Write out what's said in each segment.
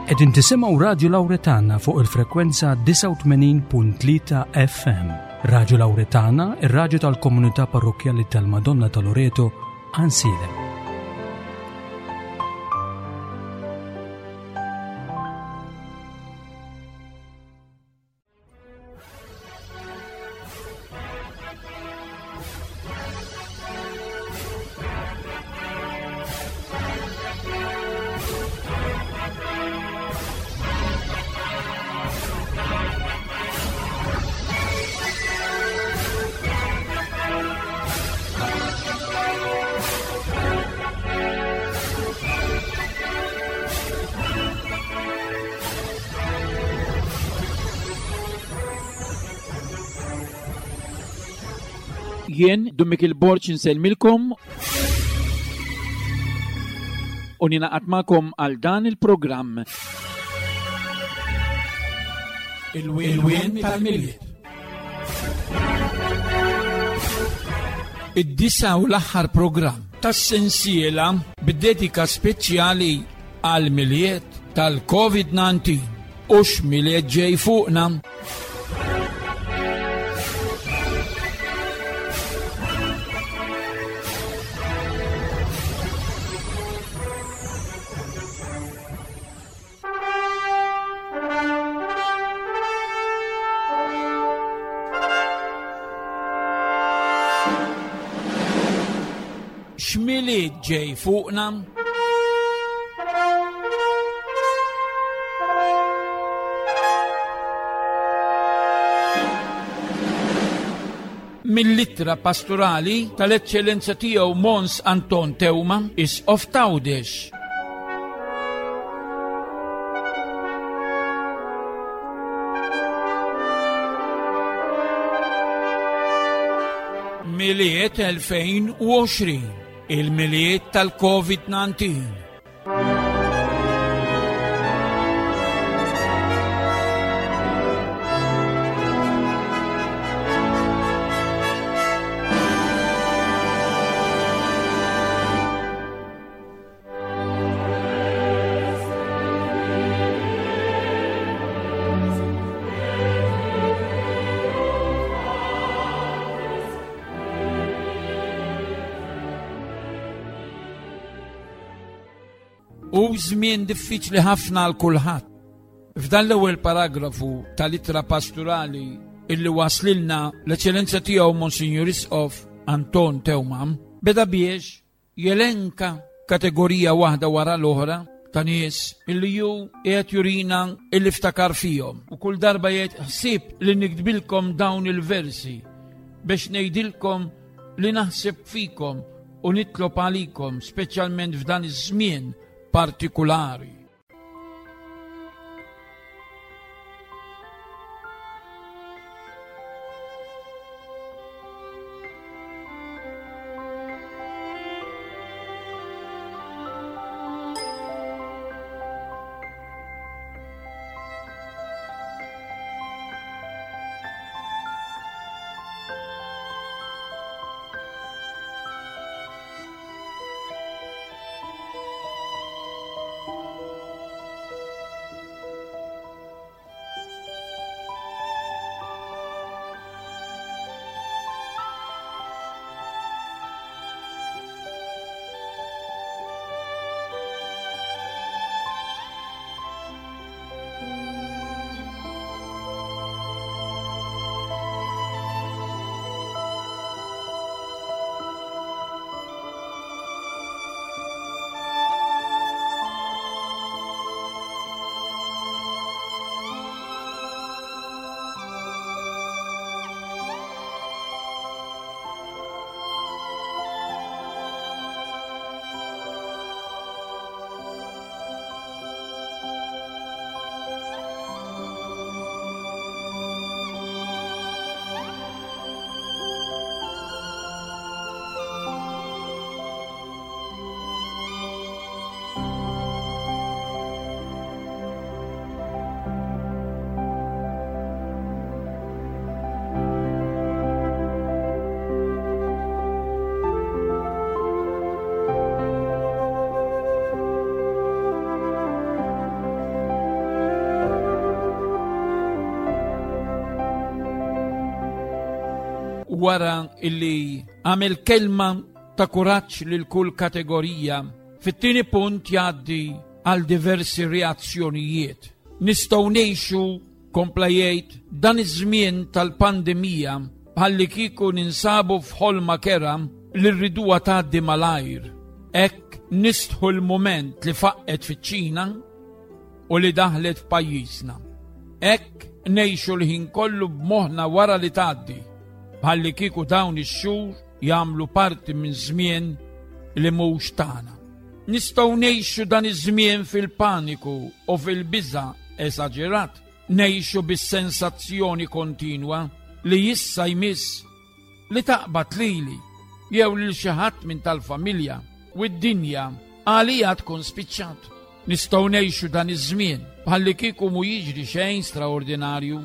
Qegħdin tisimgħu Radju Lawretana fuq il-frekwenza 89.3 FM. Radju Lawretana, ir-radju tal-komunità parrokkjali tal-Madonna ta' Loreto, Ansilem. Jien, Dun Mikil Borg insellmilkom u ninaqat magħkom għal dan il-programm. Il-wien tal-Milied. Id-disa u l-aħħar programm tas-sensiela bid-dedika speċjali għal Milied tal-COVID-19 u x'Milied ġej fuqna. X'Milied ġej fuqna? Mill-ittra pastorali tal-Eċċellenza Tiegħu Mons Anton Teuma, Isqof t'Għawdex. Milied 2020, il-Milied tal-COVID-19. Hu żmien diffiċli ħafna għal kulħadd. F'dan l-ewwel paragrafu tal-ittra pastorali illi waslilna l-Eċċellenza tiegħu Monsinjur Isqof Anton Teuma beda biex Jelenka kategorija waħda wara l-oħra ta' nies illi ju qiegħed jurina illi ftakar fihom. U kull darba jgħid ħsieb li niktbilkom dawn il-versi biex ngħidilkom li naħseb fikom u nitlob għalikom speċjalment f'dan iż-żmien partikulari. wara illi għamel kelma ta' kuraġġ lil kull kategorija, fit-tieni punt jgħaddi għal diversi reazzjonijiet. Nistgħu ngħixu, kompla jgħid, dan iż-żmien tal-pandemija bħalli kieku ninsabu f'ħolma kera li rriduha tgħaddi malajr. Hekk nistħu l-mument li faqqet fiċ-Ċina u li daħlet f'pajjiżna. Hekk ngħixu l-ħin kollu b'moħħna wara li tgħaddi, bħalli kieku dawn ix-xhur jagħmlu parti minn żmien li mhux tagħna. Nistgħu ngħixu dan iż-żmien fil-paniku u fil-biża' esaġerat, ngħixu bis-sensazzjoni kontinwa li issa jmiss li taqbad lili jew lil xi ħadd minn tal-familja u d-dinja għalija tkun spiċċat. Nistgħu ngħixu dan iż-żmien bħalli kieku mu jiġri xejn straordinarju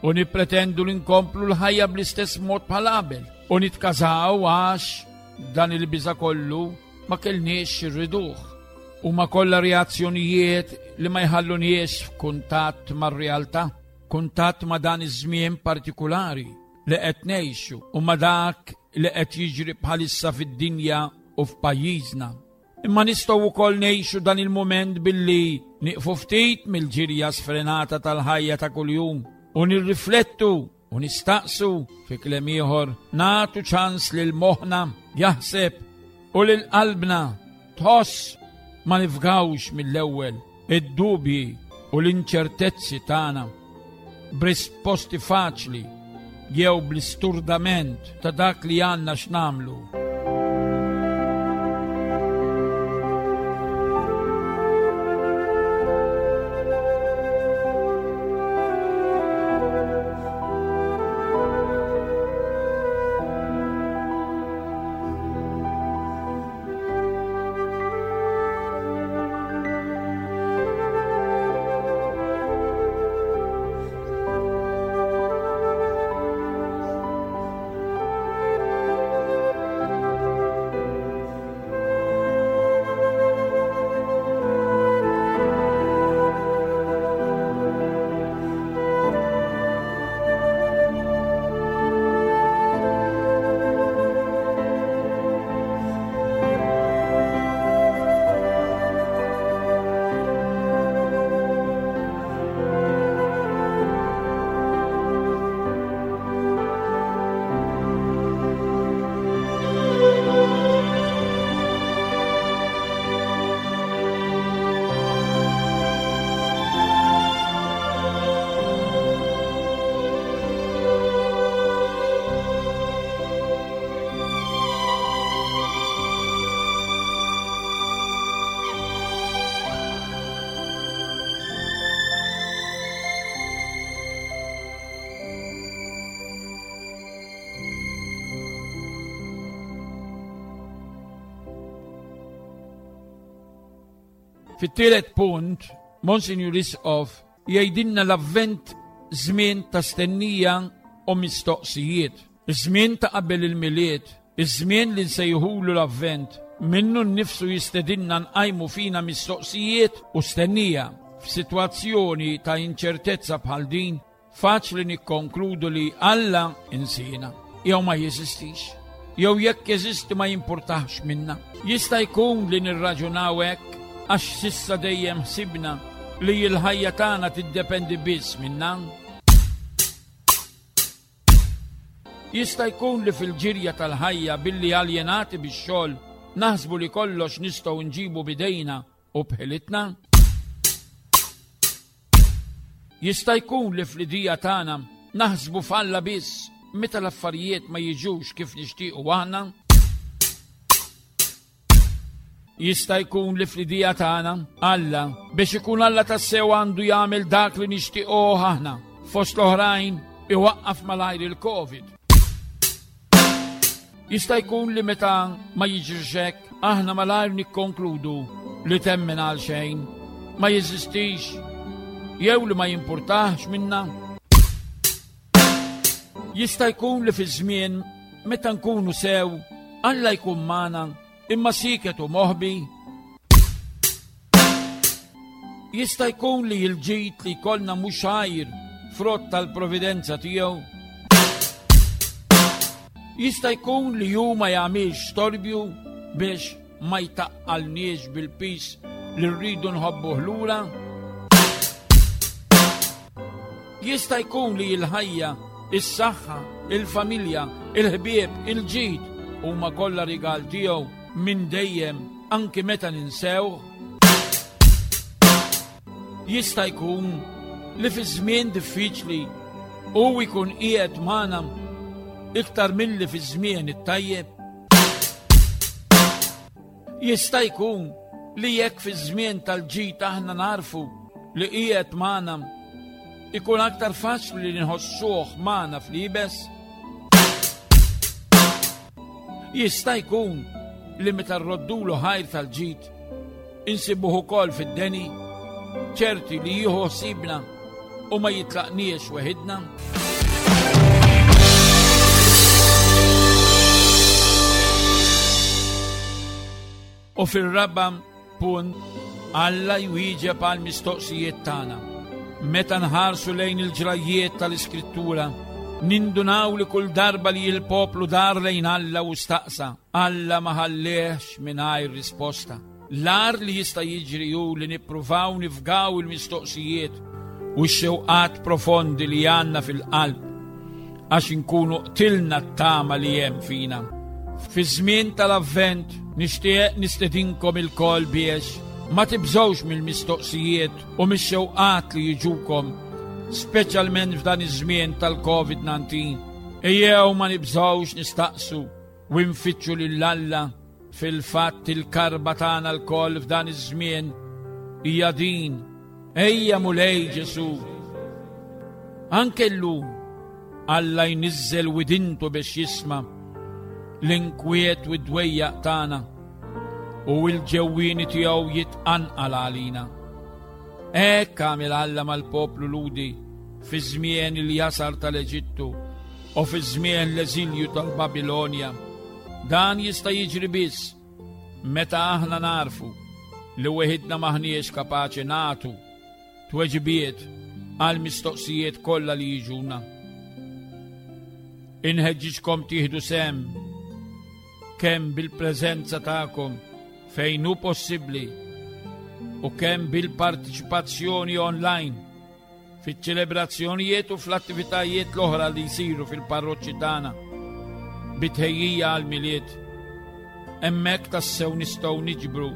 u nippretendu li nkomplu l-ħajja bl-istess mod bħal qabel u nitkażaw għax dan il-biża kollu ma kellniex irriduh. Huma kollha reazzjonijiet li ma jħalluniex f'kuntatt mar-realtà, kuntatt ma' dan iż-żmien partikulari li qed ngħixu u ma' dak li qed jiġri bħalissa fid-dinja u f'pajjiżna. Imma nistgħu wkoll ngħixu dan il-mument billi nieqfu ftit mill-ġirja sfrenata tal-ħajja ta' kuljum u nirriflettu u nistaqsu fi kliem ieħor nagħtu ċans lil moħħna jaħseb u lil qalbna tħoss ma nifgawx mill-ewwel id-dubji u l-inċertezzi tagħna b'risposti faċli jew bl-isturdament ta' dak li għandna x'nagħmlu. Fit-tielet punt, Monsignor Isqof jgħidilna l-avvent żmien ta' stennija u mistoqsijiet. Iż-żmien ta' qabel il-Milied, iż-żmien li nsejħulu l-Avvent, minnu nnifsu jistedinna nqajmu fina mistoqsijiet u stennija. F'sitwazzjoni ta' inċertezza bħal din, faċli nikkonkludu li Alla insiena jew ma jeżistix, jew jekk jeżisti ma jimpurtax minna. Jista' jkun li nirraġunaw hekk għax s'issa dejjem ħsibna li l-ħajja tagħna tiddependi biss minna. Jista' jkun li fil-ġirja tal-ħajja billi aljenati bix-xogħol naħsbu li kollox nistgħu nġibu b'idejna u b'ħilitna? Jista' jkun li fl-idija tagħna naħsbu f'Alla biss meta l-affarijiet ma jiġux kif nixtiequ aħna? Jista' jkun li fl-idea tagħna Alla biex ikun Alla tassew għandu jagħmel dak li nixtiequh aħna fost l-oħrajn iwaqqaf malajr il-Covid. Jista' jkun li meta ma jiġrix hekk aħna malajr nikkonkludu li temmen għal xejn, ma jeżistix jew li ma jimpurtax minna. Jista' jkun li fi żmien meta nkunu sew, Alla jkun magħna imma sieket u moħbi. Jista' jkun li l-ġid li jkollna mhux għajr frott tal-providenza tiegħu. Jista' jkun li hu ma jagħmilx storbju biex ma jtaqqalniex bil-piż li rridu nħobbuh lura? Jista' jkun li l-ħajja, is-saħħa, il-familja, il-ħbieb, il-ġid huma kollha rigal tiegħu minn dejjem anki meta ninsewh? Jista' jkun li fi żmien diffiċli hu jkun qiegħed magħna iktar milli fi żmien it-tajjeb. Jista' jkun li jekk fi żmien tal-ġid aħna narfu li qiegħed magħna ikun aktar faċli li nħossuh magħna fl-ibes. Jista' jkun li meta rroddulu ħajr tal-ġid Insibuh ukoll fid-deni, ċerti li jieħu ħsiebna u ma jitlaqniex weħidna. U fir-raba' punt, Alla jwieġeb għal mistoqsijiet tagħna. Meta nħarsu lejn il-ġrajjiet tal-Iskrittura, nindunaw li kull darba li l-poplu dar lejn Alla u staqsa, Alla ma ħallehx mingħajr risposta. L-agħar li jista' jiġri hu li nippruvaw nifgaw il-mistoqsijiet u x-xewqat profondi li għandna fil-qalb għax inkunu qtilna t-tama li hemm fina. Fi żmien tal-Avvent nixtieq nistedinkom ilkoll biex ma tibżgħux mill-mistoqsijiet u mix-xewqat li jiġukom, speċjalment f'dan iż-żmien tal-COVID-19. Ejjew ma nibżgħux nistaqsu u nfittxu lil Alla. Fil-fatt il-karba tagħna lkoll f'dan iż-żmien hija din: Ejja Mulej Ġesù. Anke llum Alla jniżżel widintu biex jisma' l-inkwiet u d-dwejjaq tagħna u l-ġewwieni tiegħu jitqanqal għalina. Hekk għamel Alla mal-poplu Lhudi fi żmien il-jasar tal-Eġittu u fi żmien l-eżilju tal-Babilonja. Dan jista' jiġri biss meta aħna narfu li weħidna maħniex kapaċi nagħtu tweġibiet għal mistoqsijiet kollha li jiġuna. Inħeġġiġkom tieħdu sem kemm bil-preżenza tagħkom fejn hu possibbli u kemm bil-partiċipazzjoni online fiċ-ċelebrazzjonijiet u fl-attivitajiet l-oħra li jsiru fil-parroċċi tagħna bi tħejjija għall-Milied. Hemmhekk tassew nistgħu niġbru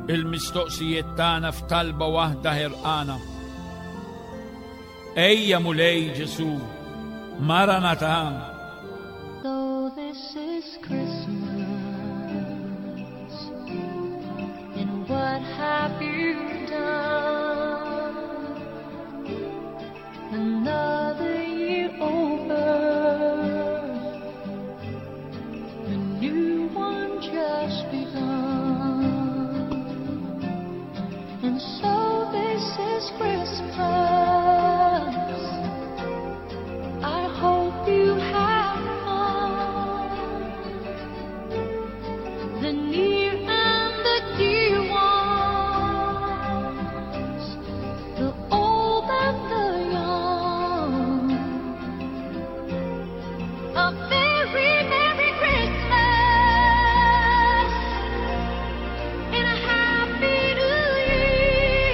il-mistoqsijiet tagħna f'talba waħda ħerqana. Ejja Mulej Ġesu, Maranatha. So this is Christmas, and what have you done? Another year over, a new one just begun. And so this is Christmas. I hope you have fun. The near and the dear ones, the old and the young. A very Merry Christmas and a Happy New Year.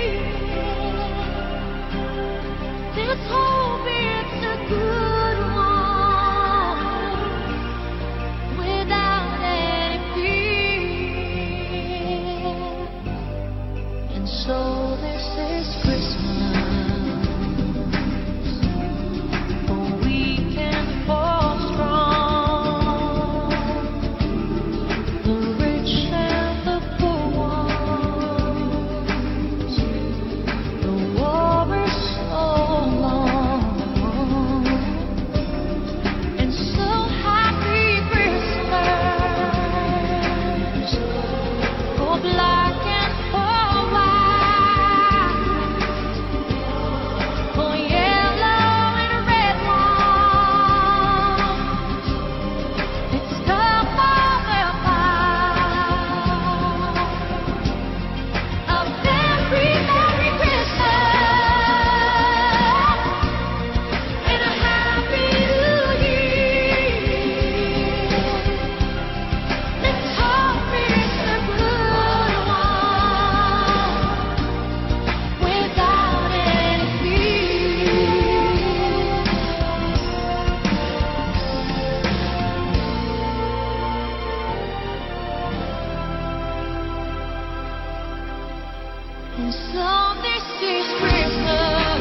And so this is Christmas.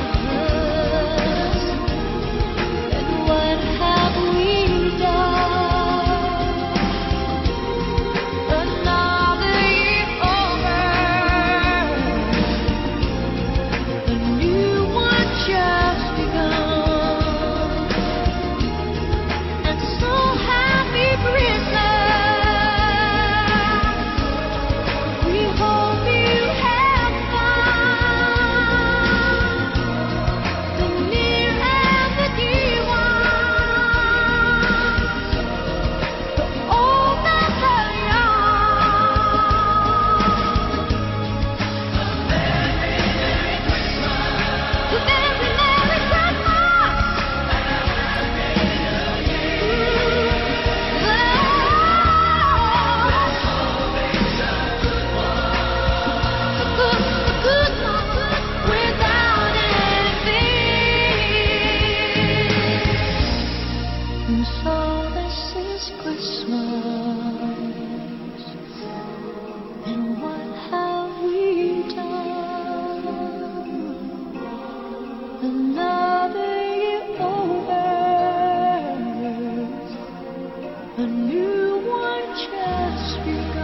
And what have we done? Another year over. A new one just begun. And so happy Christmas. We hope you have fun. The near and the dear ones, the old and the young. A very Merry Christmas. Without envy. And so this is Christmas. And what have we done? Another year over. A new one just begun.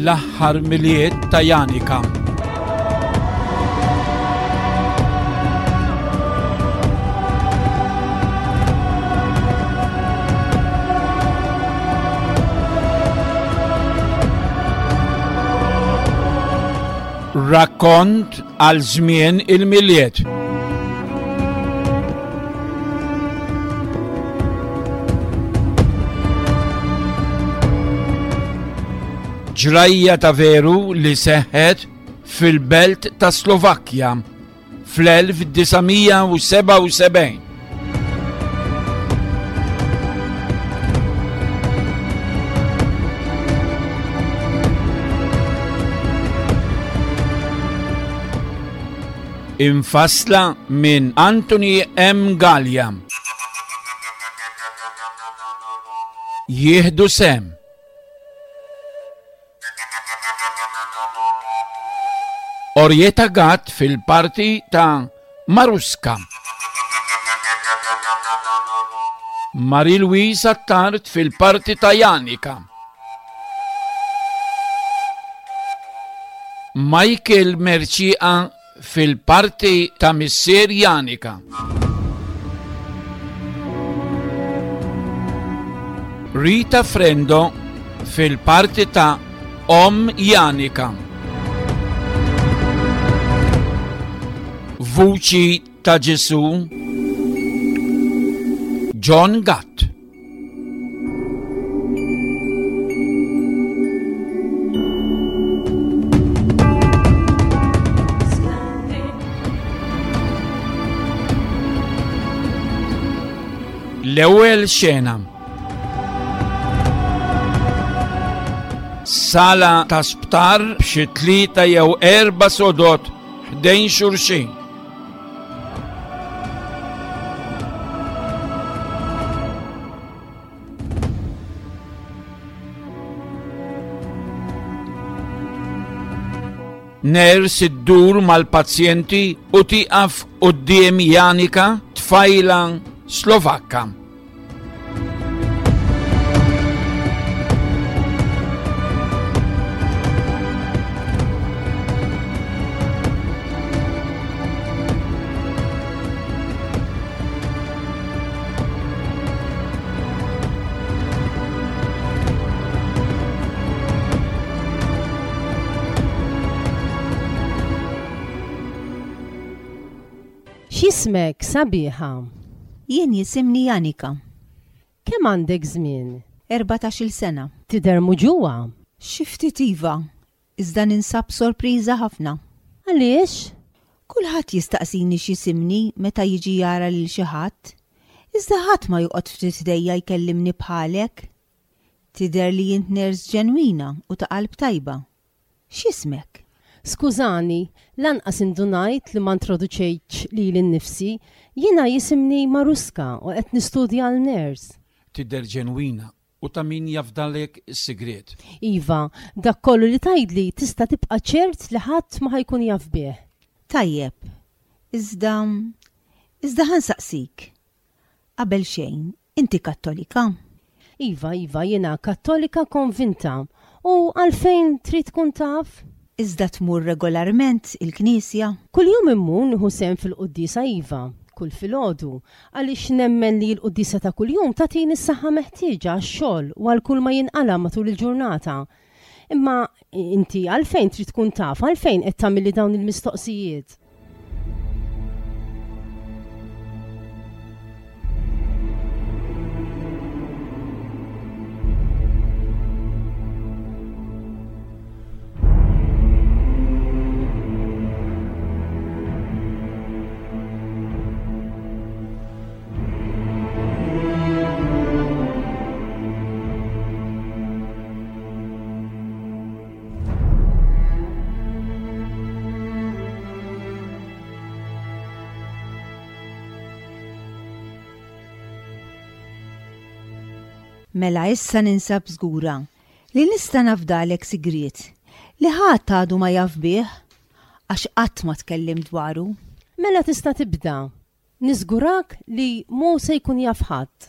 L-aħħar Milied ta' Janika. Rakkont għal żmien il-Milied. Ġrajja ta' veru li seħħet fil-belt ta' Slovakkja fl-1977. Imfassla minn Anthony M. Gallia. Jieħdu sem. Orieta Gatt fil-parti ta' Maruska. Marie-Louise Attard fil-parti ta' Janika. Michael Mercieca fil-parti ta' missier Janika. Rita Frendo fil-parti ta' Om Janika. Vuċi ta' Ġesu John Gatt. L-ewwel xena. Sala ta' sptar b'xi tlieta jew erba' sodod ħdejn xulxin. Ners iddur mal-pazjenti u tieqaf quddiem Janika, tfajla Slovakka. X'jismek, sabiħa? Jien jisimni Janika. Kemm għandek żmien? 14-il sena. Tidher muġugħa? Xi ftit iva, Iżda ninsab sorpriża ħafna. Għaliex? Kulħadd jistaqsini x'jisimni meta jiġi jara lil xi ħadd, iżda ħadd ma joqgħod ftit ħdejja jkellimni bħalek. Tidher li int nurse ġenwina u ta' qalb tajba. X'jismek? Skużani, lanqas indunajt li ma introduċejtx lili nnifsi. Jiena jisimni Maruska u qed nistudja għal nurse. Tidher ġenwina U ta' min jafdalek is-sigriet. Iva, dak kollu li tgħidli tista' tibqa' ċert li ħadd ma ħa jkun jaf bih. Tajjeb. Iżda, iżda ħa nsaqsik. Qabel xejn, inti Kattolika? Iva, iva, jiena Kattolika konvinta. U għalfejn trid tkun taf? Iżda tmur regolarment il-knisja? Kuljum immur nieħu sehem fil-quddiesa iva, kull filgħodu, għaliex nemmen li l-quddiesa ta' kuljum tagħtini s-saħħa meħtieġa għax-xogħol u għal kull ma jinqala' matul il-ġurnata. Imma inti għalfejn trid tkun taf, għalfejn qed tagħmilli dawn il-mistoqsijiet? Mela issa ninsab żgura li nista' nafdalek sigriet li ħadd għadu ma jaf bih għax qatt ma tkellimt dwaru. Mela tista' tibda. Niżgurak li mhu se jkun jaf ħadd.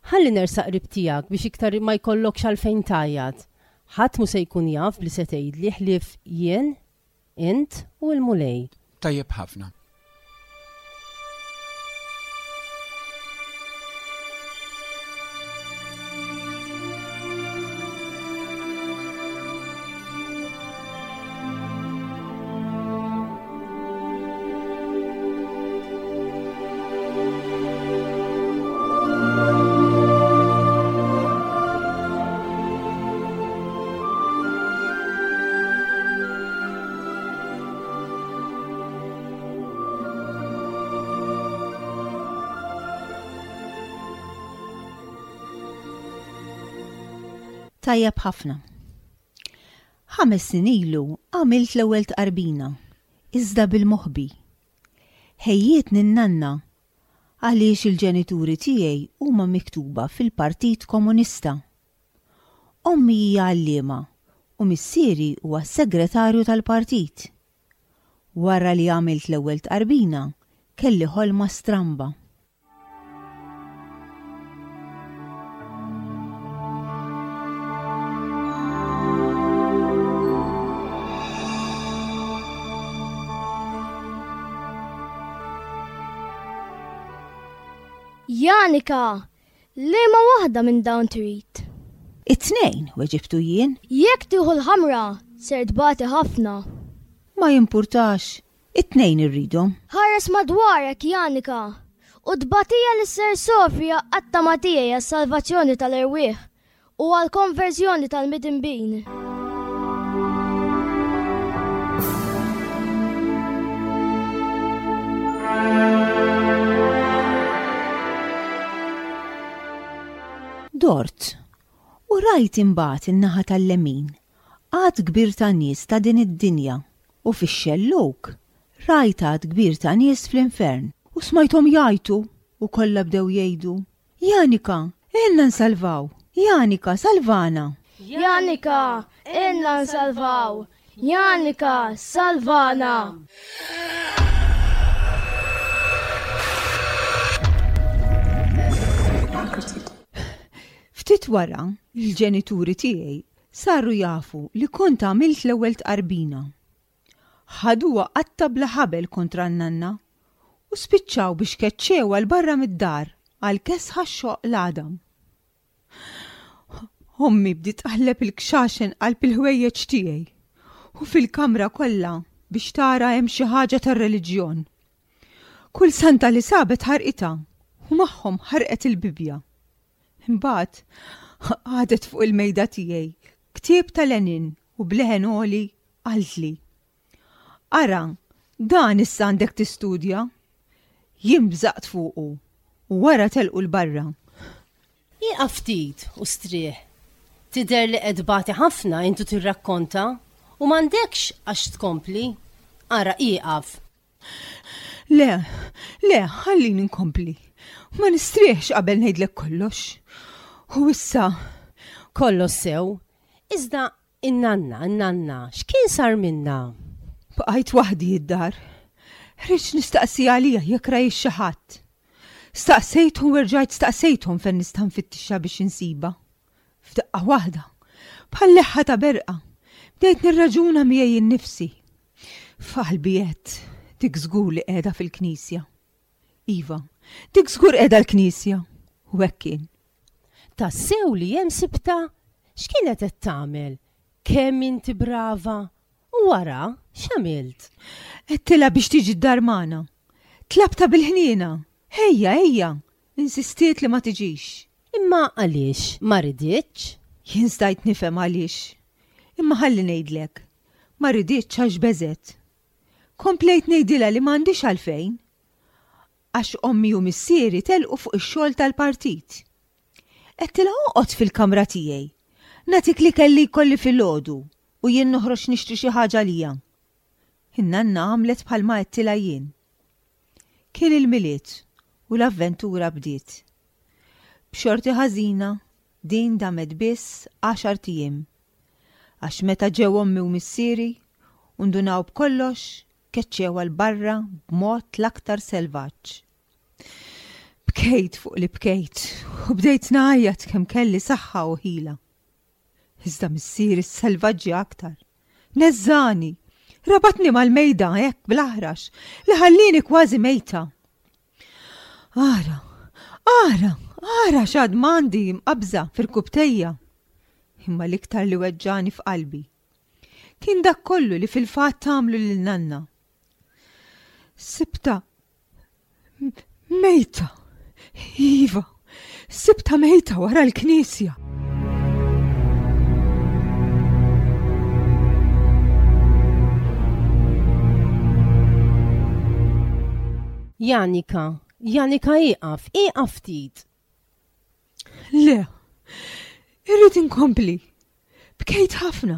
Ħalli nersaq qrib tiegħek biex iktar ma jkollokx għalfejn tgħajjat. Ħadd mhu se jkun jaf b'li se tgħidli ħlief jien, int u l-Mulej. Tajjeb ħafna. Tajjeb ħafna. Ħames snin ilu għamilt l-ewwel tqarbina, iżda bil-moħbi. Ħejjietni n-nanna għaliex il-ġenituri tiegħi huma miktuba fil-Partit Komunista. Ommi hija għalliema u missieri huwa s-segretarju tal-partit. Wara li għamilt l-ewwel tqarbina, kelli ħolma stramba. Janika, liema waħda minn dawn trid? It-tnejn, weġibtu jien. Jekk tieħu l-ħamra, ser tbati ħafna. Ma jimpurtax, It-tnejn irridhom. Ħares madwarek, Janika, u t-tbatija li ser ssofri għaqqadtha ma' tiegħi għas-salvazzjoni tal-erwieħ u għall-konverżjoni tal-midinbin. Dort u rajt imbagħad in-naħa tal-lemin għadd kbir ta' nies ta' din id-dinja u fix-xellug rajt għadd kbir ta' nies fl-infern. U smajthom jgħajtu u kollha bdew jgħidu, Janika, għinna nsalvaw! Janika, salvana! Janika, għinna nsalvaw! Janika, salvana! Ftit wara, il-ġenituri tiegħi saru jafu li kont għamilt l-ewwel tqarbina. Ħaduha qatta' bla ħabel kontra n-nanna u spiċċaw biex keċċewha 'l barra mid-dar għal kesħa x-xoqq l-għadam. Ommi bdiet tqalleb il-kxaxen qalb il-ħwejjeġ tiegħi u fil-kamra kollha biex tara hemm xi ħaġa tar-reliġjon. Kull santa li sabet ħarqitha u magħhom ħarqet il-Bibbja. Imbagħad qagħdet fuq il-mejda tiegħi ktieb ta' Lenin u b'leħen għoli qaltli, Ara, dan issa għandek tistudja. Jien bżaqt fuqu u wara telqu 'l barra. Ieqaf ftit u strieħ. Tidher li qed tbati ħafna int u tirrakkonta u m'għandekx għax tkompli. Ara ieqaf. Le, le, ħallini nkompli. Ma nistrieħx qabel ngħidlek kollox. U issa. Kollox sew, iżda in-nanna, in-nanna, x'kien sar minnha? Bqajt waħdi id-dar. Ħriġt nistaqsi għaliha jekk rajiex xi ħadd. Staqsejthom u erġajt staqsejthom fejn nista' nfittixha biex insibha. F'daqqa waħda, bħal leħħa ta' berqa, bdejt nirraġuna miegħi innifsi. F'qalbi għedt, dik żgur li qiegħda fil-knisja. Iva, dik żgur qiegħda l-knisja. U hekk kien. Tassew li hemm sibtha? X'kienet qed tagħmel? Kemm inti brava! U wara, x'għamilt? Għedtilha biex tiġi d-dar magħna. Tlabtha bil-ħniena. Ejja, ejja! Insistiet li ma tiġix. Imma għaliex ma riditx? Jien stajt nifhem għaliex. Imma ħalli ngħidlek. Ma riditx għax beżgħet. Komplejt ngħidilha li m'għandhiex għalfejn. Għax ommi u missieri telqu fuq ix-xogħol tal-partit. Għedtilha oqgħod fil-kamra tiegħi. Nagħtik l-ikel li jkolli filgħodu u jien noħroġ nixtri xi ħaġa għalija. In-nanna għamlet bħalma għedtilha jien. Kien il-Milied u l-avventura bdiet. B'xorti ħażina, din damet biss għaxart ijiem. Għax meta ġew ommi u missieri u ndunaw b'kollox, keċċewha 'l barra b'mod l-aktar selvaġġ. Bkejt fuq li bkejt u bdejt ngħajjat kemm kelli saħħa u ħila. Iżda missieri sselvaġġja aktar. Neżżagħni! Rabatni mal-mejda hekk bl-aħrax li ħallieni kważi mejta. Ara, ara, ara x'għad m'għandi mqabbża f'irkubtejja. Imma l-iktar li weġġagħni f'qalbi kien dak kollu li fil-fatt għamlu lil nanna. Sibtha Mejta! Iva, sibtha mejta wara l-knisja. Janika, Janika ieqaf, ieqaf ftit. Le, irrid inkompli. Bkejt ħafna,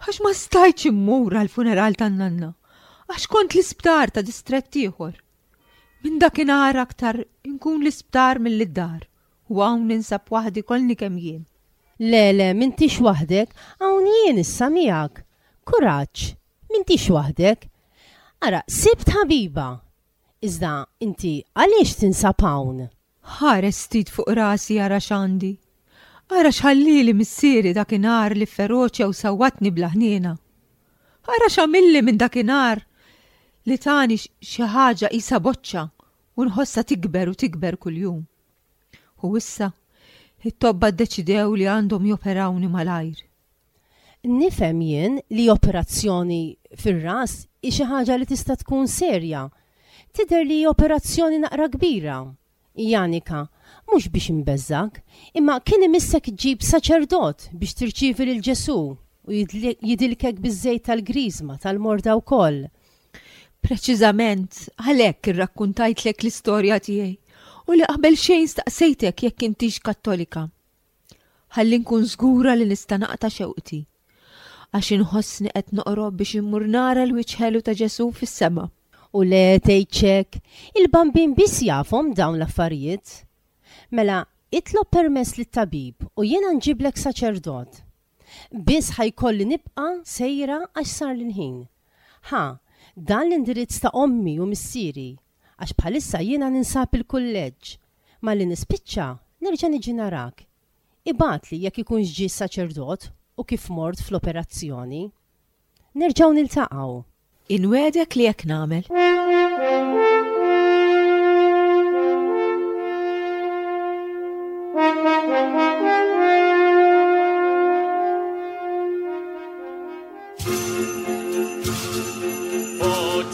għax ma stajtx immur għall-funeral tan-nanna, għax kont l-isptar ta' distrett ieħor. Minn dakinhar aktar inkun l-isptar milli d-dar, u hawn ninsab waħdi kollni kemm jien. Le, le, m'intix waħdek, hawn jien issa miegħek. Kuraġġ, m'intix waħdek. Ara, sibt ħabiba! Iżda inti għaliex tinsab hawn? Ħares ftit fuq rasi ara x'għandi. Ara x'ħallieli missieri dakinhar li fferoċja u sawwatni bla ħniena. Ara x'għamilli minn dakinhar li tani xi ħaġa qisha boċċa u nħossha tikber u tikber kuljum. U issa, it-tobba ddeċidew li għandhom joperawni malajr. Nifhem jien li operazzjoni fir-ras hi xi ħaġa li tista' tkun serja. Tidher li hi operazzjoni naqra kbira. Janika, mhux biex inbeżżgħek, imma kien imissek iġġib saċerdot biex tirċievi lil Ġesù u jidilkek biż-żejt tal-griżma tal-morda wkoll. Preċiżament għalhekk irrakkuntajtlek l-istorja tiegħi u li qabel xejn staqsejtek jekk intix Kattolika. Ħalli nkun żgura li nista' naqta' xewqti. Għax inħossni qed noqrob biex immur nara l-wiċċ ħelu ta' Ġesù fis-sema. U le tgħidx hekk, il-Bambin biss jafhom dawn l-affarijiet. Mela, itlob permess lit-tabib u jiena nġiblek saċerdot. Biss ħa jkolli nibqa' sejra għax sarli l-ħin. Ħa, dan l-indirizz ta' ommi u missieri, għax bħalissa jiena ninsab il-kulleġġ. Malli nispiċċa, nerġa' niġi narak. Ibgħatli jekk ikunx ġie s-saċerdot u kif mort fl-operazzjoni. Nerġgħu niltaqgħu. Inwiegħdek li hekk nagħmel.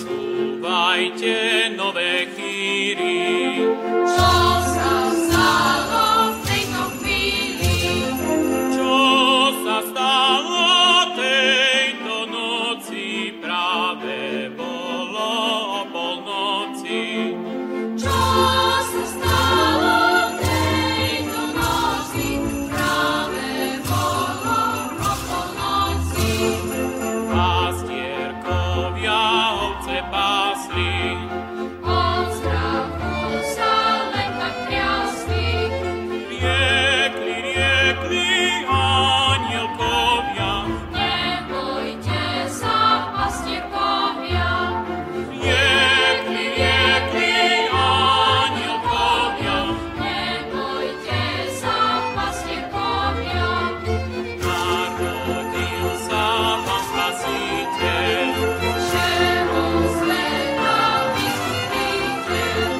Počúvajte nové chýry. Čo sa stalo v tejto chvíli? Čo sa stalo tejto noci? Práve bolo o polnoci. Čo sa stalo tejto noci? Práve bolo o polnoci. Pastierkovia ovce pásli. Od strachu sa len tak triasli. Riekli, riekli anielkovia. Nebojte sa, pastierkovia. Riekli, riekli anielkovia. Nebojte sa, pastierkovia. Narodil sa vám Spasiteľ. Všeho sveta vykupiteľ.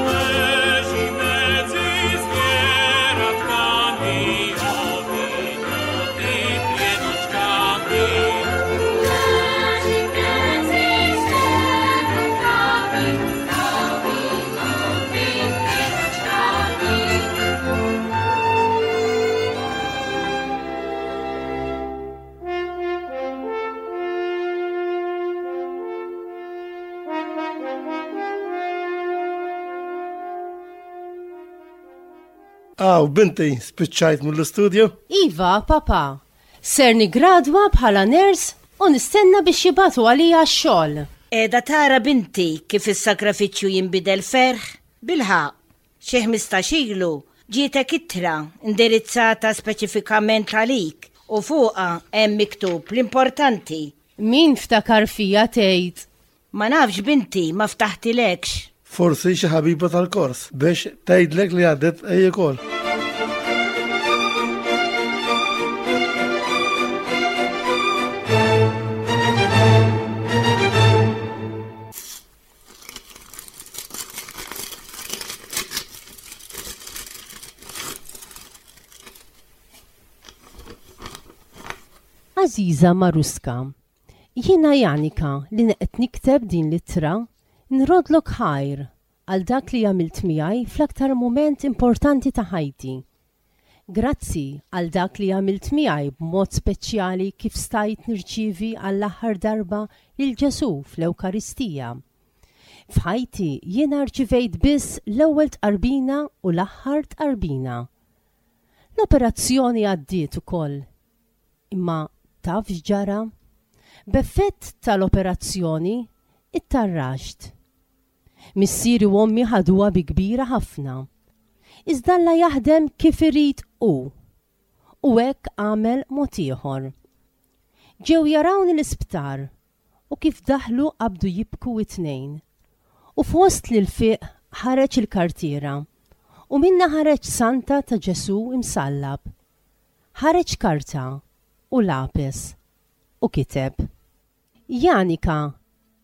Leží medzi zvieratkami, ovinutý plienočkami. Leží medzi zvieratkami, ovinutý plienočkami. Aw, binti, spiċċajt mill-istudju? Iva, papa. Ser nigradwa bħala ners u nistenna biex jibatu għalija x-xogħol. Qiegħda tara binti kif is-sagrafiċċju jinbidel ferħ? Bilħaqq, xi 15 ilu ġietek ittra indirizzata speċifikament għalik u fuqha hemm miktub l-importanti. Min ftakar fija tgħid? Ma nafx binti, ma ftaħtilekx. Forsi xi ħabiba tal-kors biex tgħidlek li għaddet hi wkoll. Għażiża Maruska, jiena Janika li qed nikteb din l-ittra, nrodlok ħajr għal dak li għamilt miegħi fl-aktar mument importanti ta' ħajti. Grazzi għal dak li għamilt miegħi b'mod speċjali kif stajt nirċievi għall-aħħar darba lil Ġesù fl-Ewkaristija. F'ħajti jiena rċivejt biss l-ewwel tqarbina u l-aħħar tqarbina. L-operazzjoni għaddiet ukoll. Imma taf x'ġara? B'effett tal-operazzjoni ittarraxt. Missieri u ommi ħaduha bi kbira ħafna. Iżda Alla jaħdem kif irid hu. U hekk għamel mod ieħor. Ġew jarawni l-isptar u kif daħlu qabdu jibku it-tnejn. U fost l-ilfiq ħareġ il-kartiera u minnha ħareġ santa ta' Ġesù imsallab. Ħareġ karta u lapes u kiteb. Janika,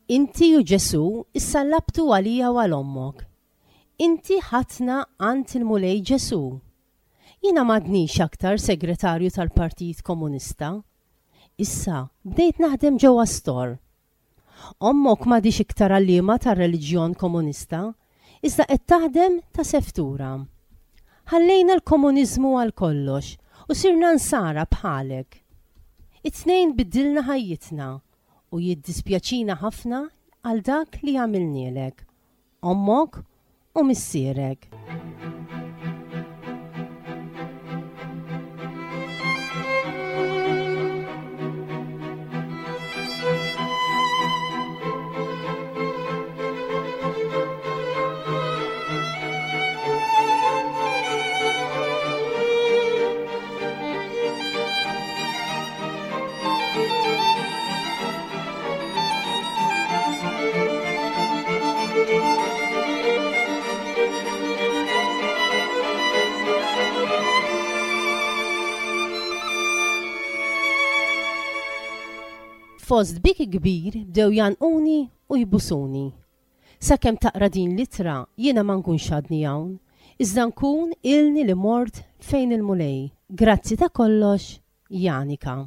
inti u Ġesù issallabtu għalija u għal ommok. Inti ħadtna għand il-Mulej Ġesù. Jiena m'għadnix aktar segretarju tal-Partit Komunista. Issa bdejt naħdem ġewwa stor. Ommok m'għadhiex iktar għalliema tar-reliġjon Komunista, iżda qed taħdem ta' seftura. Ħallejna l-komuniżmu għal kollox u sirna nsara bħalek. It-tnejn biddilna ħajjitna u jiddispjaċina ħafna għal dak li għamilnielek, ommok u missierek. Fost biki kbir bdew jgħannquni u jbusuni. Sakemm taqra din l-ittra jiena ma nkunx għadni hawn, iżda nkun ilni li mort fejn il-Mulej. Grazzi ta' kollox, Janika.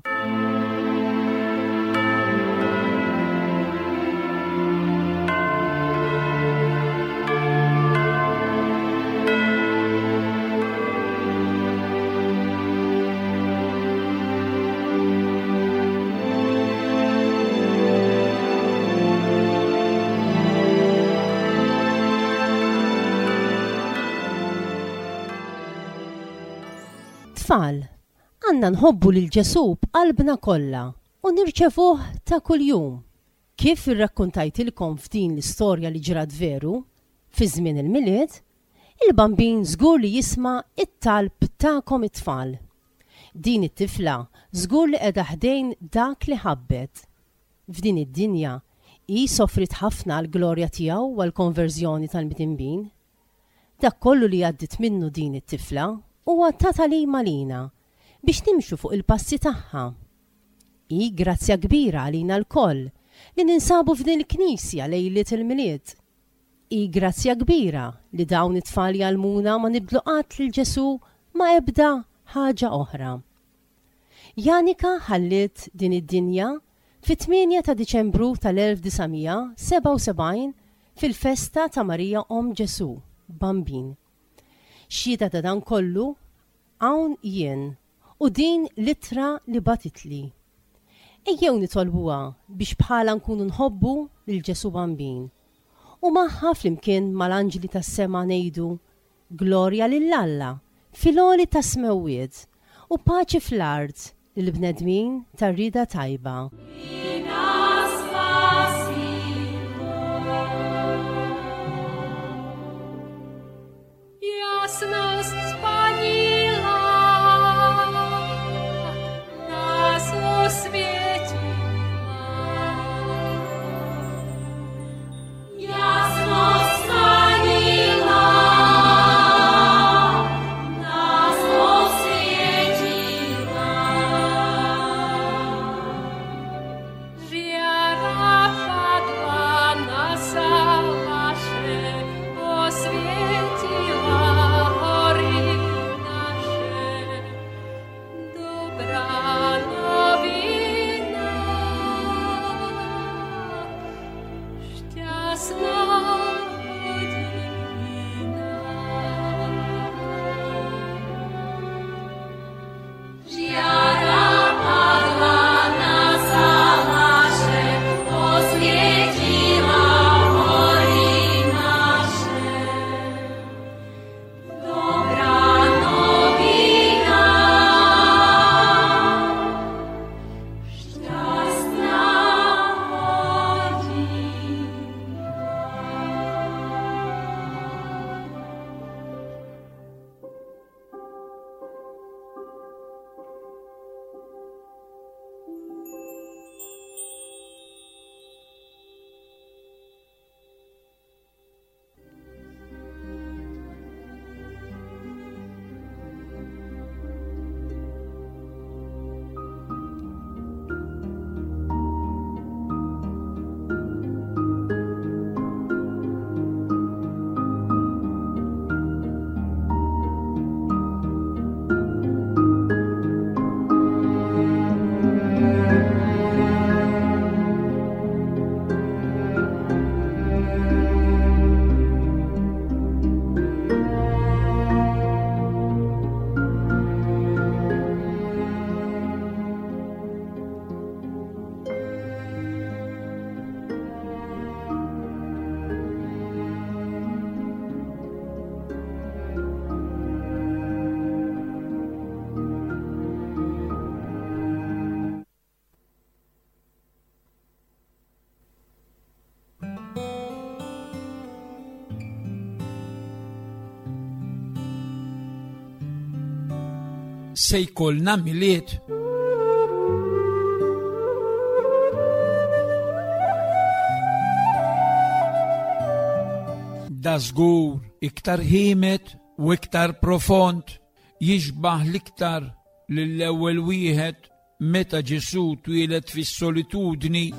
Tfal, għandna nħobbu lil Ġesù b'qalbna kollha u nirċevuh ta' kuljum. Kif irrakkuntajtilkom f'din l-istorja li ġrat veru, fi żmien il-Milied, il-Bambin żgur li jisma' t-talb tagħkom it-tfal. Din it-tifla żgur li qiegħda ħdejn dak li ħabbet. F'din id-dinja, hi sofriet ħafna għall-glorja tiegħu u għall-konverżjoni tal-midinbin. Dak kollu li għaddiet minnu din it-tifla huwa ta' tagħlim għalina biex nimxu fuq il-passi tagħha. Hi grazzja kbira għalina lkoll li ninsabu f'din il-knisja lejliet il-Milied. Hi grazzja kbira li dawn it-tfal jgħallmuna ma nibdlu qatt lil Ġesù ma' ebda ħaġa oħra. Janika ħalliet din id-dinja fit-8 ta' Diċembru tal-1977 fil-festa ta' Marija Omm Ġesù, Bambin. Xhieda ta' dan kollu hawn jien u din l-ittra li bagħtitli. Ejjew nitolbuha biex bħalha nkunu nħobbu lil Ġesù Bambin u magħha flimkien mal-anġli tas-sema ngħidu, Glorja lil Alla fil-għoli tas-smewwiet u paċi fl-art lill-bnedmin ta' rieda tajba. Se jkollna Milied. Da żgur iktar ħiemed u iktar profond jixbah l-iktar lill-ewwel wieħed. meta Ġesù twieled fis-solitudni.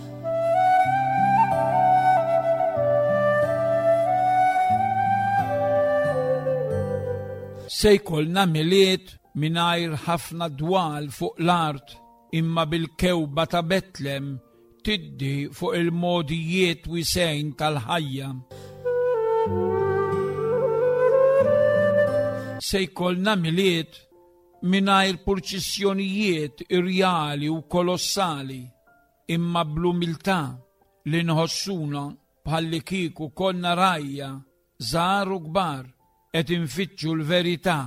Se jkollna Milied mingħajr ħafna dwal fuq l-art imma bil-kewba ta' Betlem tiddi fuq il-mogħdijiet wisgħin tal-ħajja. Se jkollna Milied mingħajr purċissjonijiet irjali u kolossali, imma bl-umiltà li nħossuna bħallikieku konna rgħajja żgħar u kbar qed infittxu l-verità.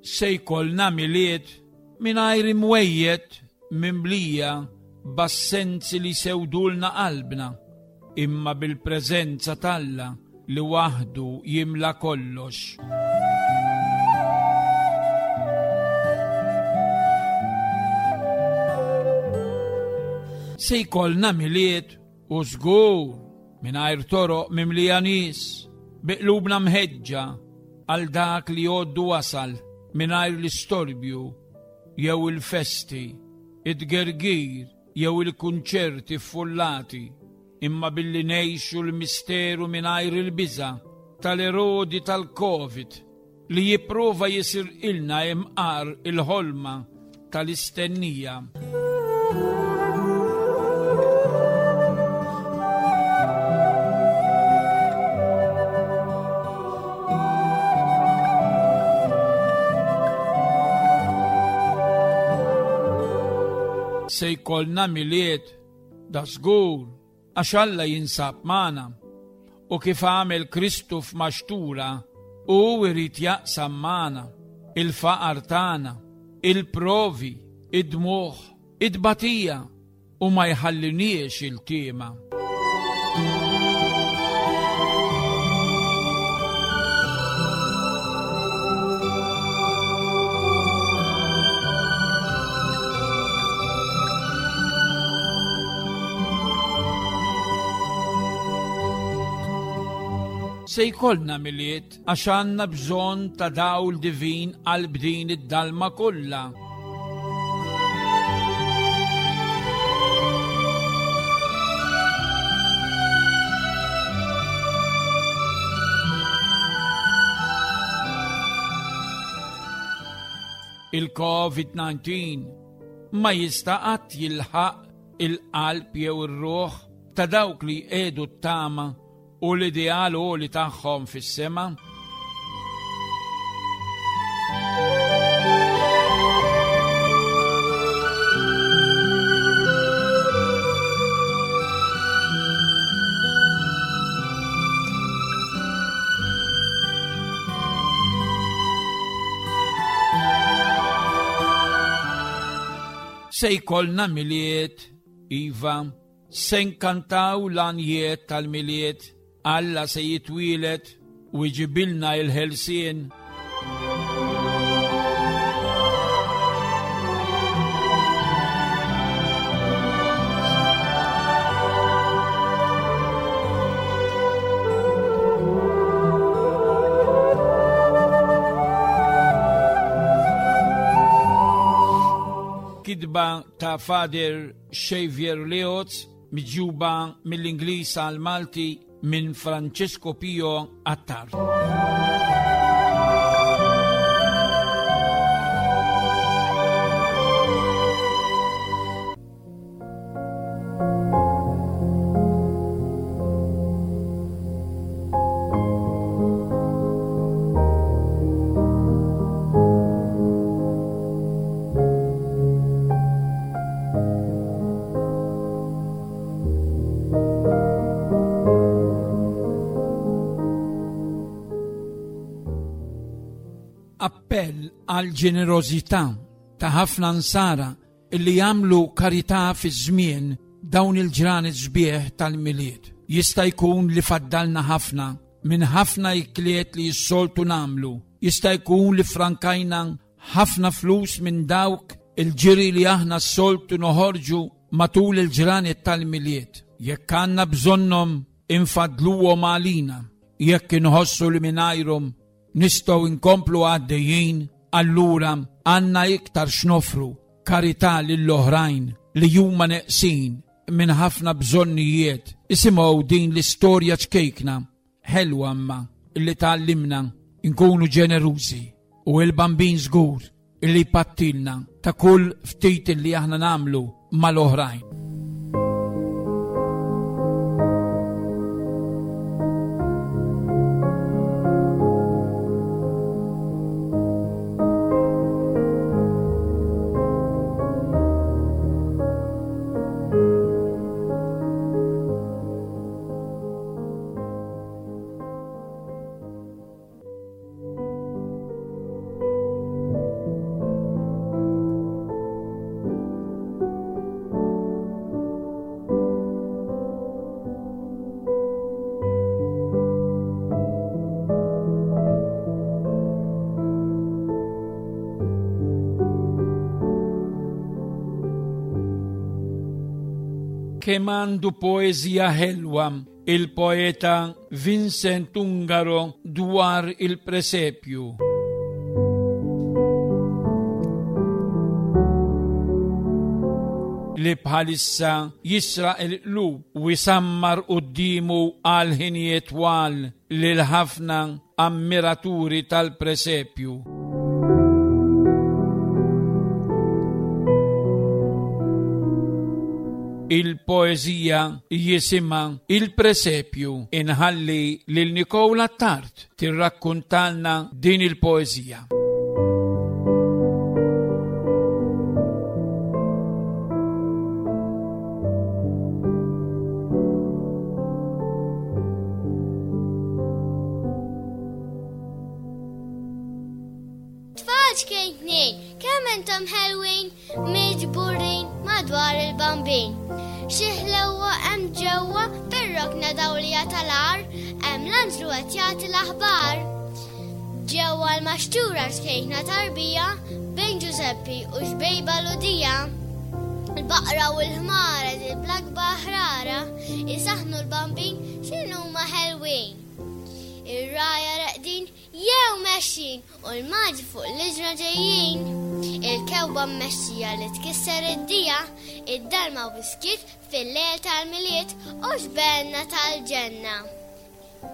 Se jkollna Milied mingħajr imwejjed mimlija b'assenzi li jsewdulna qalbna, imma bil-preżenza t'Alla li waħdu jimla kollox. Se jkollna Milied u żgur mingħajr toroq mimlija nies, bi qlubna mħeġġa għal dak li għoddu wasal mingħajr l-istorbju jew il-festi, it-tgergir jew il-kunċerti ffullati, imma billi ngħixu l-misteru mingħajr il-biża' tal-Erodi tal-Covid li jipprova jisirqilna imqar il-ħolma tal-istennija. Se jkollna Milied da żgur għax Alla jinsab magħna u kif għamel Kristu f'maxtura hu jrid jaqsam magħna il-faqar tagħna, il-provi, id-dmugħ, it-tbatija u ma jħalliniex iltiema. Se jkollna Milied għax għandna bżonn ta' dawl divin qalb din id-dalma kollha. Il-COVID-19 ma jista' qatt jilħaq il-qalb jew ir-ruħ ta' dawk li jqiegħdu t-tama u l-ideal għoli tagħhom fis-sema. Se jkollna Milied, iva, Se nkantaw l-għanjiet tal-Milied, Alla se jitwieled u jġibilna il-ħelsien. Kitba ta' Father Xavier Leoz, miġjuba mill-Ingliż għall-Malti minn Francesco Pio Attard. Appell għal ġenerożità ta' ħafna nsara illi jagħmlu karità fi żmien dawn il-ġranet sbieħ tal-Milied. Jista' jkun li faddalna ħafna minn ħafna ikliet li s-soltu nagħmlu. Jista' jkun li frankajna ħafna flus minn dawk il-ġiri li aħna s-soltu noħorġu matul il-ġranet tal-Milied. Jekk għandna bżonnhom infaddluhom għalina, jekk inħossu li mingħajrhom nistgħu nkomplu għaddejjin, Allura għandna iktar x'nofru karità lill-oħrajn li huma neqsin minn ħafna bżonnijiet. Isimgħu din l-istorja ċkejkna, ħelwa imma li tgħallimna nkunu ġenerużi u l-Bambin żgur illi jpattilna ta' kull ftit illi aħna nagħmlu mal-oħrajn. Kemm għandu poeżija ħelwa il-poeta Vincent Ungaro dwar il-presepju. Li bħalissa jisraq il-qlub u jsammar quddiemu għal ħinijiet twal lil ħafna ammiraturi tal-presepju. Il-poeżija jisimha Il-Presepju. Inħalli lil Nicole Attard tirrakkuntalna din il-poeżija. Tfal ċkejknin, kemm intom ħelwin, miġburin madwar il-bambin. Xi ħlewwa hemm ġewwa fir-rokna dawlija tal-għar, hemm l-anġlu qed jagħti l-aħbar. Ġewwa l-maxtura ċkejkna tarbija bejn Ġużeppi u xbejba Ludija. Il-baqra u l-ħmara bl-akbar ħrara isaħnu l-bambin x'inhuma ħelwin. Ir-rgħajja reqdin jew mexjin u l-maġi fuq l-iġra ġejjin. Il-kewba mmexxija li tkisser id-dija, id-dalma u biskit fil-lejl tal-Milied u xbenna tal-ġenna.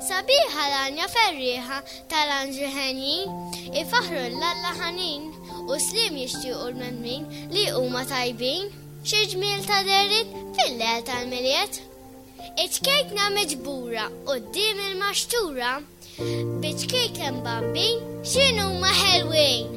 Sabiħa l-għanja ferrieħa tal-anġli henjin, ifaħħru 'l Alla ħanin, u sliem jixtiequ l-bnedmin li huma tajbin. Xi ġmiel ta' dehriet fil-lejl tal-Milied! Iċ-ċkejkna miġbura quddiem il-maxtura, bi ċkejken bambin x'inhuma ħelwin!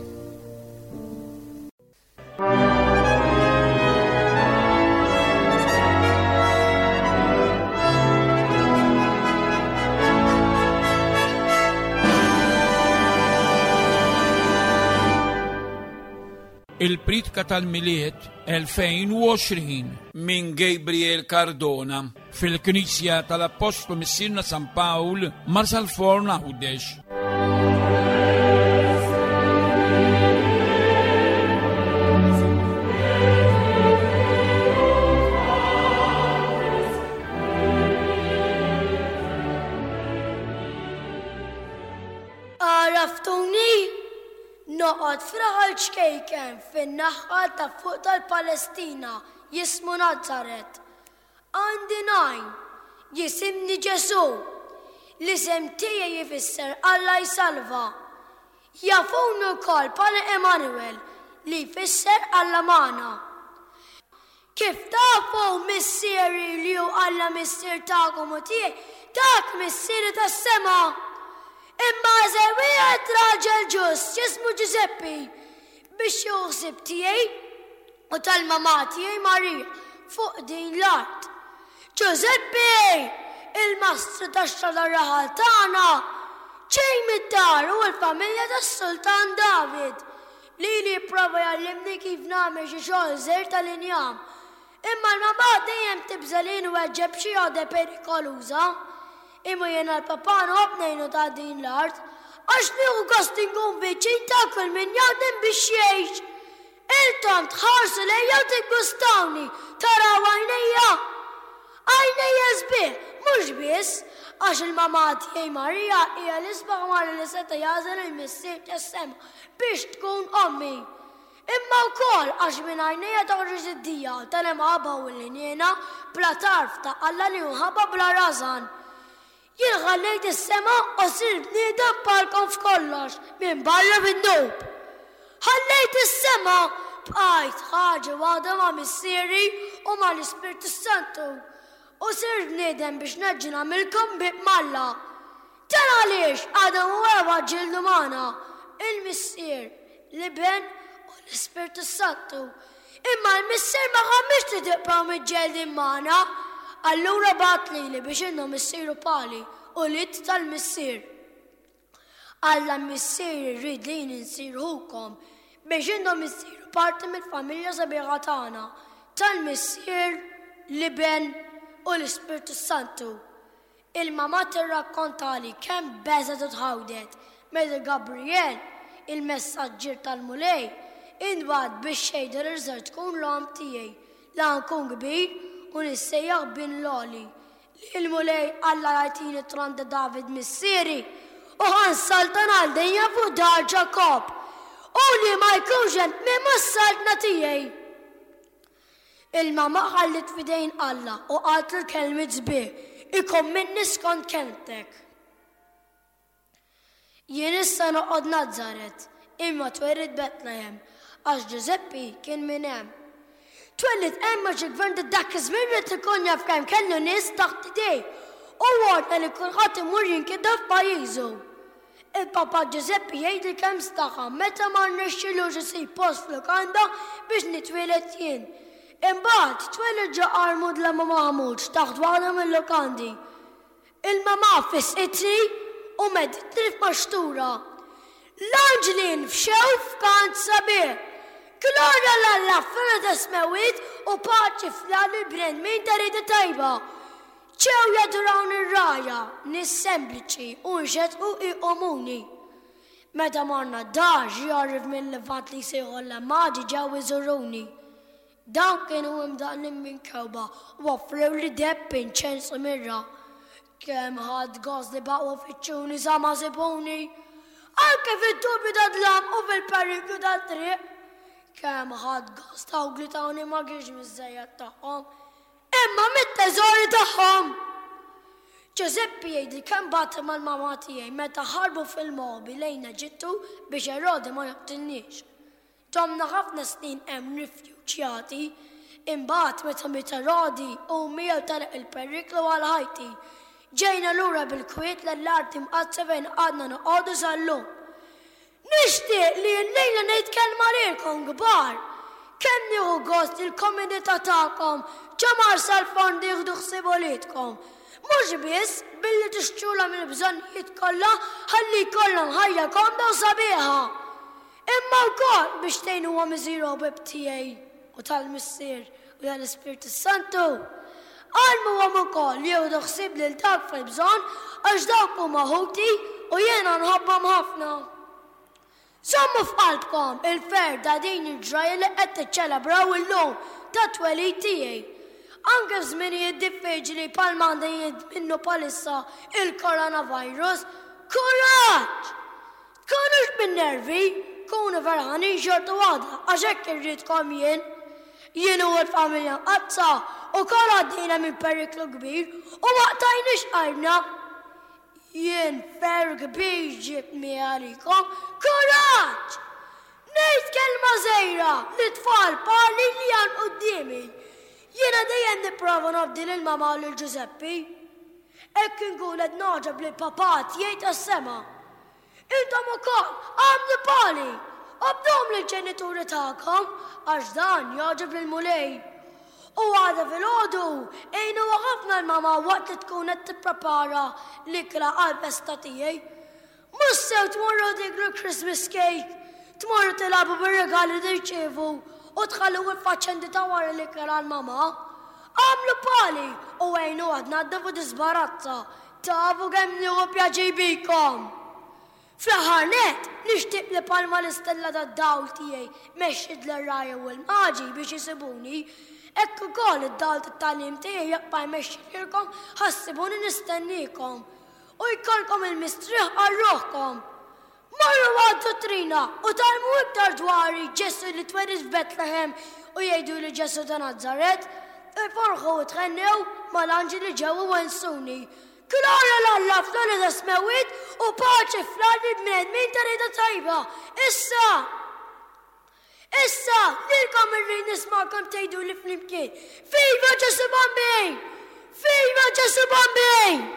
Il-Priedka tal-Milied 2020 minn Gabriel Cardona fil-Knisja tal-Appostlu Missierna San Pawl, Marsalforn Għawdex. Għaraftuni? Noqgħod f'raħal ċkejken fin-naħa ta' fuq tal-Palestina jismu Nazaret. Għandi ngħin, jisimni Ġesù. L-isem tiegħi jfisser Alla jsalva. Jafuni wkoll bħala Emmanuel, li jfisser Alla magħna. Kif tafu, Missieri li hu Alla Missier tagħkom u tiegħi, tak Missieri tas-sema. Imma għażel wieħed raġel ġust jismu Ġużeppi biex jieħu ħsieb tiegħi u tal-mamà tiegħi Marija fuq din l-art. Ġużeppi, il-mastru tax-xogħol tar-raħal tagħna, ġej mid-dar u l-familja tas-Sultan David. Lili jipprova jgħallimni kif nagħmel xi xogħol żgħir tal-injam. Imma l-mamà dejjem tibża' li nweġġa' b'xi għodda perikoluża. Imma jiena l-papà nħobb ngħinu ta' din l-art, għax nieħu gost inkun viċin ta' kull min jaħdem biex jgħix. Intom tħarsu lejja u tiggustawni, taraw għajnejja. Għajnejja sbieħ, mhux biss għax il-mamà tiegħi Marija hija l-isbaħ mara li seta' jagħżel il-Missier tas-sema biex tkun ommi, imma wkoll għax minn għajnejja toħroġ id-dija tal-imħabba u l-ħniena bla tarf ta' Alla li hu mħabba bla rażan. Jien ħallejt is-sema u sirt bniedem bħalkom f'kollox, minbarra fid-dnub. Ħallejt is-sema, bqajt ħaġa waħda ma' Missieri u mal-Ispirtu s-Santu, u sirt bniedem biex nerġa' nagħmilkom ħbieb m'Alla. Dan għaliex Adam u Eva ġġieldu magħna, il-Missier, l-Iben u l-Ispirtu s-Santu. Imma l-Missier ma ħammiex li tibqgħu miġġeldin magħna, allura bagħat lili biex intom issiru bħali, ulied tal-Missier. Alla l-Missier irid li jien insir ħukom biex intom issiru parti mill-familja sabiħa tagħna, tal-Missier, l-Iben u l-Ispirtu s-Santu. Il-mamà tirrakkontali kemm beżgħet u tħawdet meta Gabriel, il-messaġġier tal-Mulej, intbagħat biex jgħidha li ser tkun l-omm tiegħi la nkun kbir u nissejjaħ Bin l-Għoli, li l-Mulej Alla jagħtini t-tron ta' David missieri, u ħa nsaltan għal dejjem fuq dar Ġakobb, u li ma jkunx hemm tmiem għas-saltna tiegħi. Il-mamà ħalliet f'idejn Alla u qaltlu l-kelmiet sbieħ, Ikun minni skont kelmtek. Jien issa noqgħod Nazaret, imma twelidt Betlehem, għax Ġużeppi kien minn hemm. Twelidt hemm għax il-gvern ta' dak iż-żmien ried ikun jaf kemm kellu nies taħt idejh u ordna li kulħadd imur jinkidha f'pajjiżu. Il-Papa Ġużeppi jgħidli kemm staħa meta ma rnexxilux isib post f'lukanda biex nitwieled jien. Imbagħad, twelid ġo għar mudlam u maħmuġ taħt waħda mil-lukandi. Il-mamà fissqitni u meditni f'maxtura. L-anġli nfxew f'kant sabiħ. Glorja 'l Alla fl-ogħla tas-smewwiet u paċi fl-art lill-bnedmin ta' rieda tajba. Ġew jadurawni r-rgħajja, nies sempliċi u nxettqu iqumuni. Meta morna d-dar, xi għorrief mil-Lvant li jsejħu l-Maġi ġew iżuruni. Dawn kienu imdaqqlin minn kewba u offrewli deheb, inċens u mirra. Kemm ħadt gost li baqgħu ifittxuni sa ma sibuni! Anke fid-dubju tad-dlam u fil-periklu tat-triq! Kemm ħadt gost dawk li tawni ma kienx miż-żejjed tagħhom, Imma mit-teżori tagħhom! Ġużeppi jgħidli kemm bagħat mal-mamà tiegħi meta ħarbu fil-moħbi lejn Eġittu biex Erodi ma joqtilniex. Domna ħafna snin hemm rifjuġjati. Imbagħad meta miet Erodi u miegħu telaq il-periklu għal ħajti, ġejna lura bil-kwiet lejn l-Art Imqaddsa fejn għadna noqogħdu sal-lum. Nixtieq li llejla ngħid kelma lilkom kbar. Kemm nieħu gost li l-komunità tagħkom ġo Marsalforn tieħdu ħsieb uliedkom. Mhux biss billi tixtrulhom il-bżonnijiet kollha ħalli jkollhom ħajja komda u sabiħa, imma wkoll biex tgħinuhom isiru ħbieb tiegħi u tal-Missier u tal-Ispirtu s-Santu. Għallmuhom ukoll jieħdu ħsieb lil dawk fil-bżonn għax dawk huma ħuti u jiena nħobbhom ħafna. Żommu f'qalbkom il-ferħ ta' din il-ġrajja li qed tiċċelebraw illum tat-twelid tiegħi. Anke f'żminijiet diffiċli bħalma għaddejjin minnu bħalissa il-coronavirus, kuraġġ! Tkunux bin-nervi, kunu ferħanin xorta waħda għax hekk irridkom jien. Jien u l-familja Mqaddsa wkoll għaddejna minn periklu kbir u ma qtajniex qalbna. Jien ferħ kbir ġibt miegħi għalikom. Kuraġġ! Ngħid kelma żgħira lit-tfal bħali li hawn quddiemi. Jiena dejjem nipprova nobdi lil mama u lil Ġużeppi. Hekk inkun qed nogħġob lill-Papà tiegħi tas-sema. Intom ukoll agħmlu bħali! Obduhom lill-ġenituri tagħkom, għax dan jogħġob lill-Mulej. U għada filgħodu, għinuha ħafna l-mama waqt li tkun qed tipprepara l-ikla għall-festa tiegħi. Mhux sew tmorru tieklu Christmas cake, tmorru tilagħbu bir-rigali li tirċievu u tħallu il-faċendi ta' wara l-ikel għall-mama. Agħmlu bħali u għinuha tnaddaf u tiżbarazza Tafu kemm nieħu pjaċir bikom! Fl-aħħar nett, nixtieq li bħalma l-istella tad-dawl tiegħi mexxiet lir-rgħajja u l-maġi biex isibuni, Hekk ukoll id-dawl tat-tagħlim tiegħi jibqa' jmexxi lilkom ħa ssibuni nistenniekom. U jkollkom il-mistrieħ għal ruħkom. Morru għad-duttrina u tgħallmu iktar dwari Ġesù li twelid f'Betlehem u jgħiduli Ġesù ta' Nazaret. Iforħu u thennew mal-anġli li ġew iwensuni. Glorja 'l Alla fl-għoli tas-smewwiet u paċi fl-art lill-bnedmin ta' rieda tajba. Issa! Issa, lilkom irrid nismagħkom tgħiduli flimkien, Viva Ġesù Bambin! Viva Ġesù Bambin!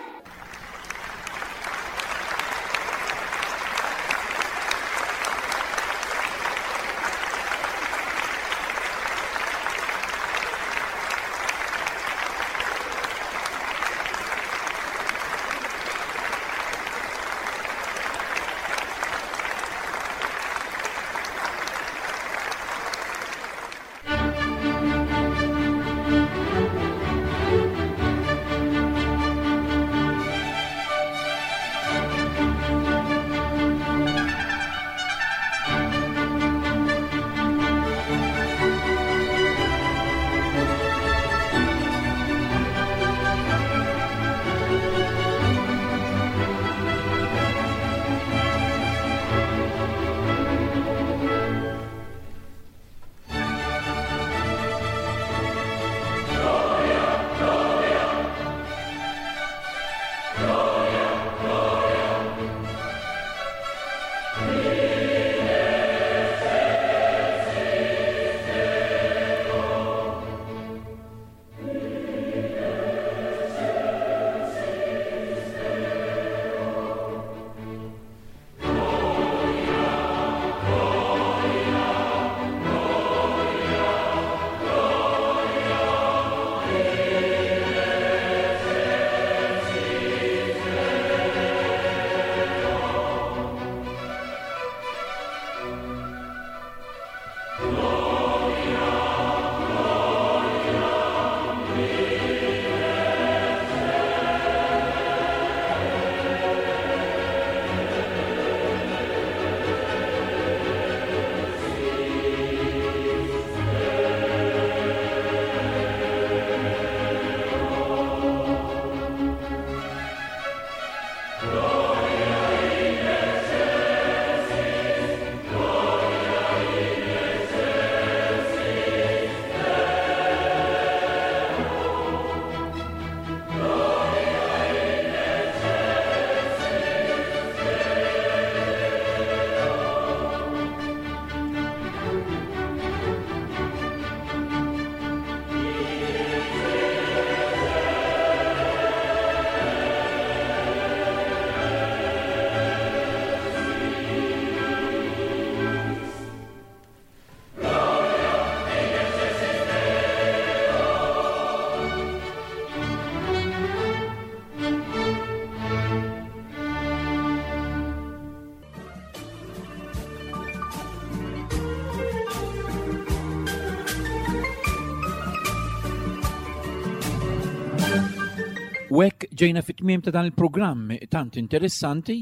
U hekk ġejna fit-tmiem ta' dan il-programm tant interessanti.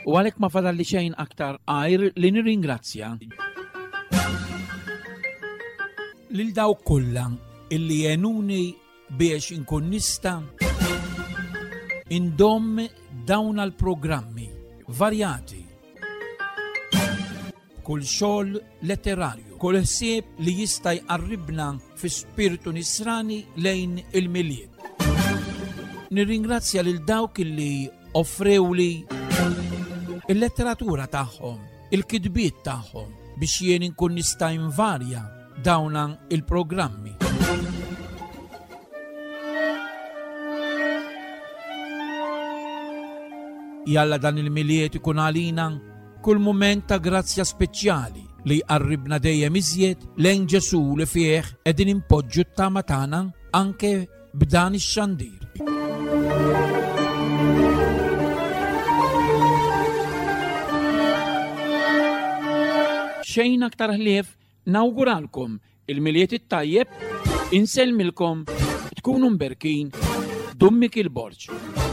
U għalhekk ma fadalli xejn aktar għajr li nirringrazzja lil dawk kollha illi għenuni biex inkun nista' indomm dawn għal-programmi varjati kull xogħol letterarju, kull ħsieb li jista' jqarribna fi spirtu nisrani lejn il-Milied. Nirringrazzja lil dawk illi offrewli il-letteratura tagħhom, il-kitbiet tagħhom biex jien inkun nista' invarja dawna il-programmi. Jalla dan il-Milied ikun għalina kull mument ta' grazzja speċjali li jqarribna dejjem iżjed lejn Ġesù li fih qegħdin inpoġġu t-tama tagħna anke b'dan ix-xandir. Xejn aktar ħlief nawguralkom il-Milied it-tajjeb, insellmilkom, tkunu mberkin, Dun Mikiel Borg.